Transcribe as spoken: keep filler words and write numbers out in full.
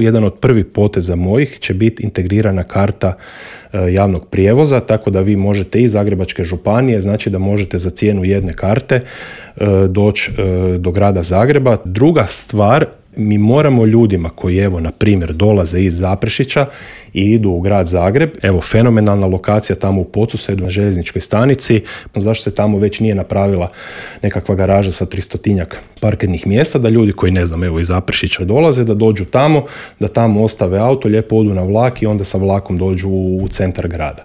Jedan od prvih poteza mojih će biti integrirana karta javnog prijevoza, tako da vi možete iz Zagrebačke županije, znači da možete za cijenu jedne karte doći do grada Zagreba. Druga stvar, mi moramo ljudima koji, evo, na primjer, dolaze iz Zaprešića i idu u grad Zagreb, evo, fenomenalna lokacija tamo u Podsusedu na željezničkoj stanici, zašto se tamo već nije napravila nekakva garaža sa tristotinjak parkirnih mjesta, da ljudi koji, ne znam, evo, iz Zaprešića dolaze, da dođu tamo, da tamo ostave auto, lijepo odu na vlak i onda sa vlakom dođu u centar grada.